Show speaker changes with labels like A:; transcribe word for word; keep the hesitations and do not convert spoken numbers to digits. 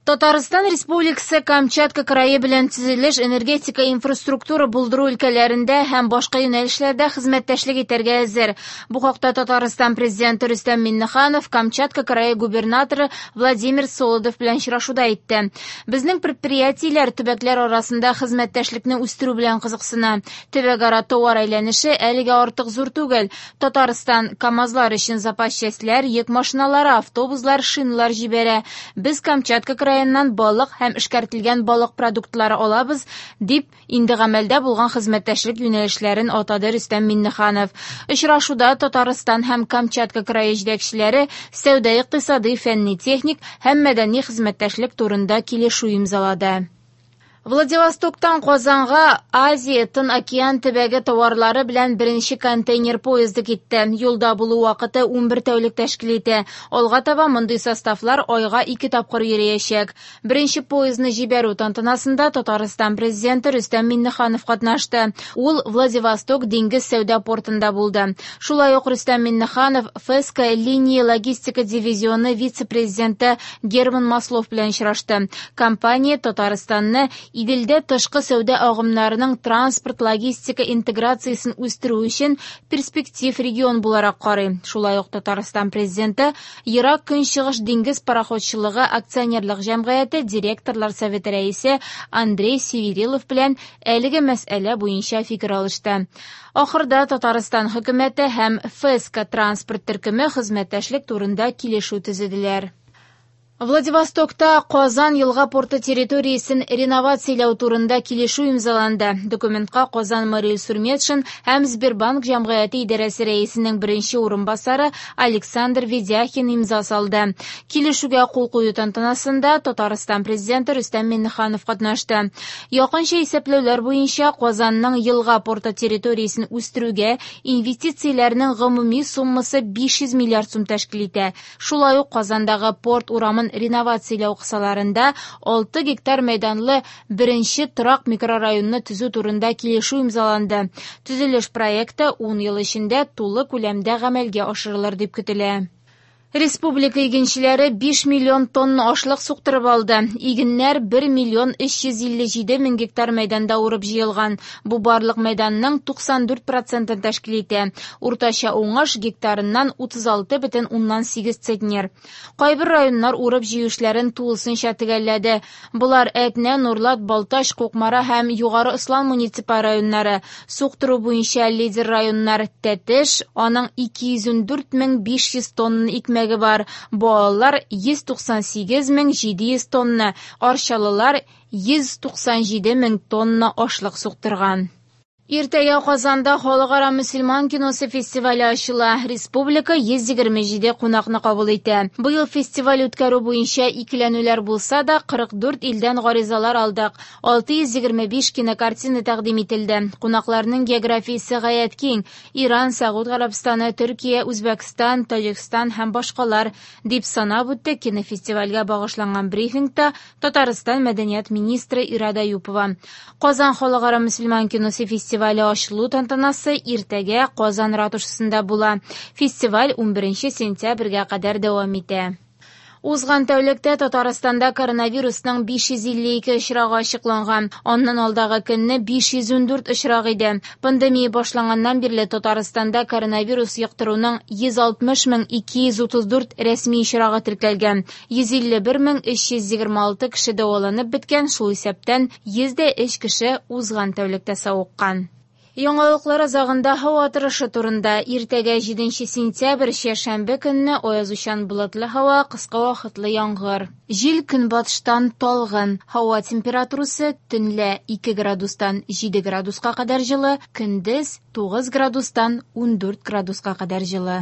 A: Татарстан Республикасы Камчатка крае белән төзелеш, энергетика, инфраструктура булдыру өлкәләрендә һәм башка юнәлешләрдә хезмәттәшлек итәргә әзер. Бу хакта Татарстан Президенты Рөстәм Миңнеханов Камчатка крае губернаторы Владимир Солодов белән очрашуда әйтте. Безнең предприятиеләр төбәкләр арасында хезмәттәшлекне үстерү белән кызыксына. Төбәкара товар әйләнеше әлегә артык зур түгел. Татарстан КАМАЗлар өчен запас частьләр, йөк машиналары, автобуслар, шиналар җибәрә. Без Камчатка крае балык һәм эшкәртелгән балык продуктлары алабыз, дип инде гамәлдә булган хезмәттәшлек юнәлешләрен атады Рөстәм Миңнеханов. Очрашуда Татарстан һәм Камчатка крае җитәкчеләре сәүдә-икътисади, фәнни-техник һәм мәдәни хезмәттәшлек турында килешү имзалады. Владивостоктан Казанга Азия Тын океан төбәге товарлары белән беренче контейнер поезды китте. Юлда булу вакыты унбер тәүлек тәшкил итә. Алга таба мондый составлар айга ике тапкыр йөриячәк. Беренче поездны җибәрү тантанасында Татарстан президенты Рөстәм Миңнеханов катнашты. Ул Владивосток диңгез сәүдә портында булды. Шулай ук Рөстәм Миңнеханов ФЭСКО линия логистика дивизионы вице-президенты Герман Маслов белән очрашты. Компания Татарстанны Иделдә тышкы сәүдә агымнарының транспорт-логистика интеграциясен үстерү өчен перспектив регион буларак карый. Шулай ук Татарстан президенты Ерак Көнчыгыш диңгез пароходчылыгы акционерлык җәмгыяте директорлар советы рәисе Андрей Северилов белән әлеге мәсьәлә буенча фикер алышты. Ахырда Татарстан хөкүмәте һәм ФЭСКО транспорт төркеме хезмәттәшлек турында килешү төзеделәр. Владивостокта Казан елга порты территориясен реновацияләү турында килешү имзаланды. Документка Казан Марил Сурметшин һәм Сбербанк җәмгыяте идарәсе рәисенең беренче урынбасары Александр Ведяхин имза салды. Килешүгә кул кую тантанасында Татарстан президенты Рөстәм Миңнеханов катнашты. Якынча исәпләүләр буенча Казанның елга порты территориясен үстерүгә инвестицияләрнең гомуми суммасы биш йөз миллиард сум тәшкил итә. Шулай ук Казандагы порт урамын реновацияләү кысаларында алты гектар мәйданлы беренче торак микрорайонны төзү турында килешү имзаланды. Төзелеш проекты ун ел эчендә тулы күләмдә гамәлгә ашырылыр дип көтелә. Республика игенчеләре биш миллион тонна ашлык суктырып алды. Игеннәр бер миллион өч йөз илле җиде мең гектар мәйданда урып җыелган. Бу барлык мәйданның туксан дүрт процентын тәшкил итә. Уртача уңыш гектарыннан утыз алты бөтен уннан сигез центнер. Кайбер районнар урып җыю эшләрен тулысынча төгәлләде. Болар Әтнә, Нурлат, Балтач, Кукмара һәм Югары Ослан муниципаль районнары. Суктыру буенча лидер районнар Тәтеш, аның ике йөз ундүрт мең биш йөз тонна икмәге бар. Буалылар йөз туксан сигез мең җиде йөз тонна, арчалылар йөз туксан җиде мең тонна ашлык суктырган. Иртәгә Казанда халыкара мөселман киносы фестивале ачыла. Республика йөз егерме җиде кунакны кабул итә. Быел фестиваль үткәрү буенча икеләнүләр булса да, кырык дүрт илдән гаризалар алдык. Алты йөз егерме биш кинокартина тәкъдим ителде. Кунакларның географиясе гаять киң. Иран, Сәгуд Гарәбстаны, Төркия, Үзбәкстан, Таҗикстан һәм башкалар, дип санап үтте кинофестивальгә багышланган брифингта Татарстан мәдәният министры Ирада Юпова. Казан халыкара мөселман киносы фестивале ачылу тантанасы иртәгә Казан ратушасында була. Фестиваль унберенче сентябрьгә кадәр дәвам итә. Узган тәүлектә Татарстанда коронавирусның биш йөз илле ике очрагы ачыкланган. Аннан алдагы көнне биш йөз ундүрт очрак иде. Пандемия башланганнан бирле Татарстанда коронавирус йоктыруның йөз алтмыш мең ике йөз утыз дүрт рәсми очрагы теркәлгән. Йөз илле бер мең өч йөз егерме алты кеше дәваланып беткән, шул исәптән йөз дә өч кеше узган тәүлектә савыккан. Яңалыклар азагында һава торышы турында. Иртәгә җиденче сентябрь чәршәмбе көнне аязучан болытлы һава, кыска вакытлы яңгыр. Җил көнбатыштан талгын. Һава температурасы төнлә ике градустан җиде градуска кадәр җылы, көндез тугыз градустан ундүрт градуска кадәр җылы.